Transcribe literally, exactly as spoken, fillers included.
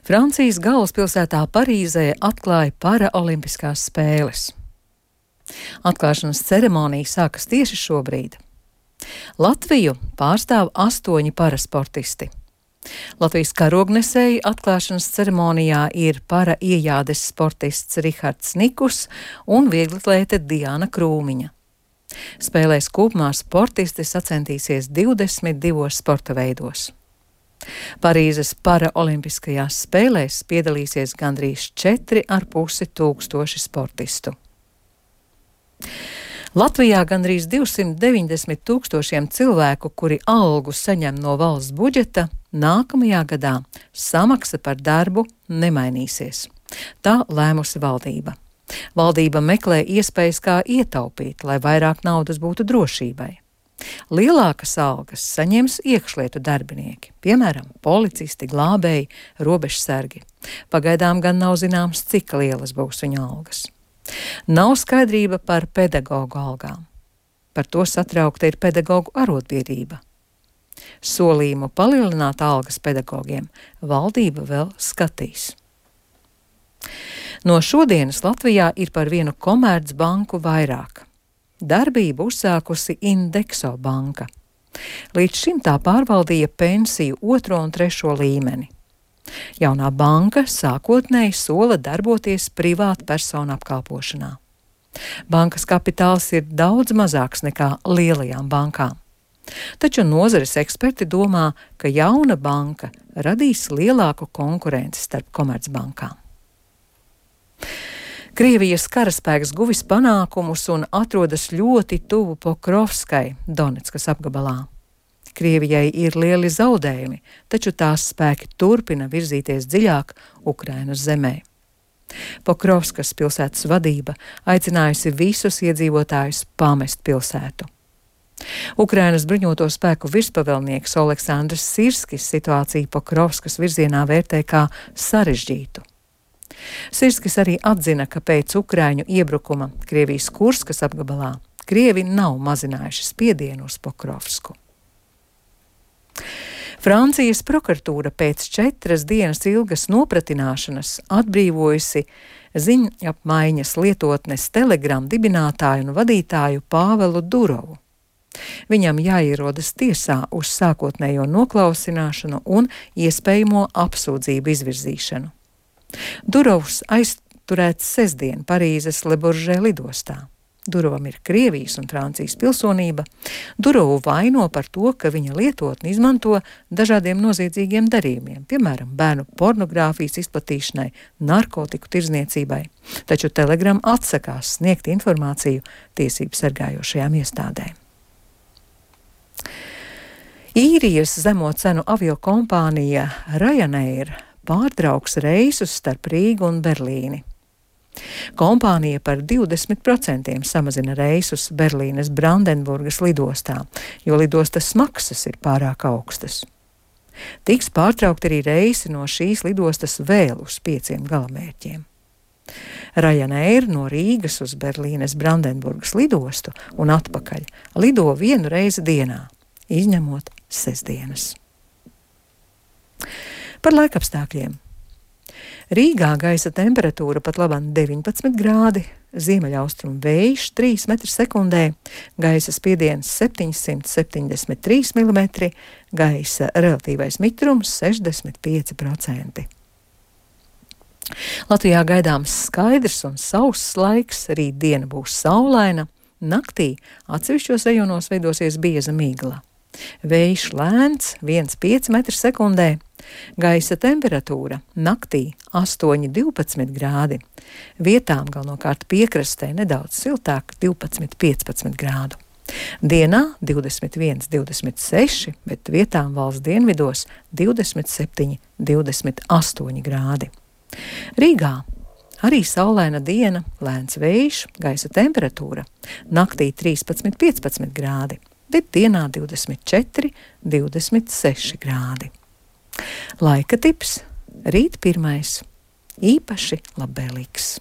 Francijas galvaspilsētā Parīzē atklāja paraolimpiskās spēles. Atklāšanas ceremonija sākas tieši šobrīd. Latviju pārstāv astoņi parasportisti. Latvijas karognesēji atklāšanas ceremonijā ir para iejādes sportists Rihards Nikus un vieglatlēte Diana Krūmiņa. Spēlēs kopumā sportisti sacensties divdesmit divos sporta veidos. Parīzes paraolimpiskajās spēlēs piedalīsies gandrīz četri ar pusi tūkstoši sportistu. Latvijā gandrīz divsimt deviņdesmit tūkstošiem cilvēku, kuri algu saņem no valsts budžeta, nākamajā gadā samaksa par darbu nemainīsies. Tā lēmusi valdība. Valdība meklē iespējas, kā ietaupīt, lai vairāk naudas būtu drošībai. Lielākas algas saņems iekšlietu darbinieki, piemēram, policisti, glābēji, robežsargi. Pagaidām gan nav zināms, cik lielas būs viņu algas. Nav skaidrība par pedagoģu algām. Par to satraukta ir pedagoģu arotbiedrība. Solījumu palielināt algas pedagogiem valdība vēl skatīs. No šodienas Latvijā ir par vienu komercbanku vairāk. Darbību uzsākusi Indexo banka. Līdz šim tā pārvaldīja pensiju otro un trešo līmeni. Jaunā banka sākotnēji sola darboties privātu personu apkalpošanā. Bankas kapitāls ir daudz mazāks nekā lielajām bankām. Taču nozares eksperti domā, ka jauna banka radīs lielāku konkurenci starp komercbankām. Krievijas karaspēks guvis panākumus un atrodas ļoti tuvu Pokrovskai, Doneckas apgabalā. Krievijai ir lieli zaudējumi, taču tās spēki turpina virzīties dziļāk Ukrainas zemē. Pokrovskas pilsētas vadība aicinājusi visus iedzīvotājus pamest pilsētu. Ukrainas bruņoto spēku virspavēlnieks Oleksandrs Sirskis situāciju Pokrovskas virzienā vērtē kā sarežģītu. Sirskis arī atzina, ka pēc Ukraiņu iebrukuma Krievijas Kurskas apgabalā Krievi nav mazinājuši spiedienu uz Pokrovsku. Francijas prokuratūra pēc četras dienas ilgas nopratināšanas atbrīvojusi ziņapmaiņas lietotnes Telegram dibinātāju un vadītāju Pāvelu Durovu. Viņam jāierodas tiesā uz sākotnējo noklausināšanu un iespējamo apsūdzību izvirzīšanu. Durovs aizturēts sestdien Parīzes Le Bourget lidostā. Durovam ir Krievijas un Francijas pilsonība. Durovu vaino par to, ka viņa lietotni izmanto dažādiem noziedzīgiem darījumiem, piemēram, bērnu pornogrāfijas izplatīšanai, narkotiku tirdzniecībai. Taču Telegram atsakās sniegt informāciju tiesību sargājošajām iestādēm. Īrijas zemo cenu aviokompānija Ryanair pārtrauks reisus starp Rīgu un Berlīni. Kompānija par divdesmit procentiem samazina reisus Berlīnes Brandenburgas lidostā, jo lidostas maksas ir pārāk augstas. Tiks pārtraukt arī reisi no šīs lidostas vēl uz pieciem galamērķiem. Ryanair no Rīgas uz Berlīnes Brandenburgas lidostu un atpakaļ lido vienu reizi dienā, izņemot sestdienas. Par laikapstākļiem. Rīgā gaisa temperatūra pat labāk deviņpadsmit grādi, ziemeļaustrumu vējš trīs metri sekundē, gaisa spiediens septiņsimt septiņdesmit trīs milimetri, gaisa relatīvais mitrums sešdesmit pieci procenti. Latvijā gaidāms skaidrs un sauss laiks, rīt diena būs saulaina, naktī atsevišķos rajonos veidosies bieza migla. Vējš lēns viens komats pieci metri sekundē, gaisa temperatūra naktī astoņi divpadsmit grādi, vietām galvenokārt piekrastē nedaudz siltāk divpadsmit piecpadsmit grādu. Dienā divdesmit viens divdesmit seši, bet vietām valsts dienvidos divdesmit septiņi divdesmit astoņi grādi. Rīgā arī saulaina diena, lēns vējš, gaisa temperatūra naktī trīspadsmit piecpadsmit grādi, bet dienā divdesmit četri divdesmit seši grādi. Laika tips rīt pirmais, īpaši labvēlīgs.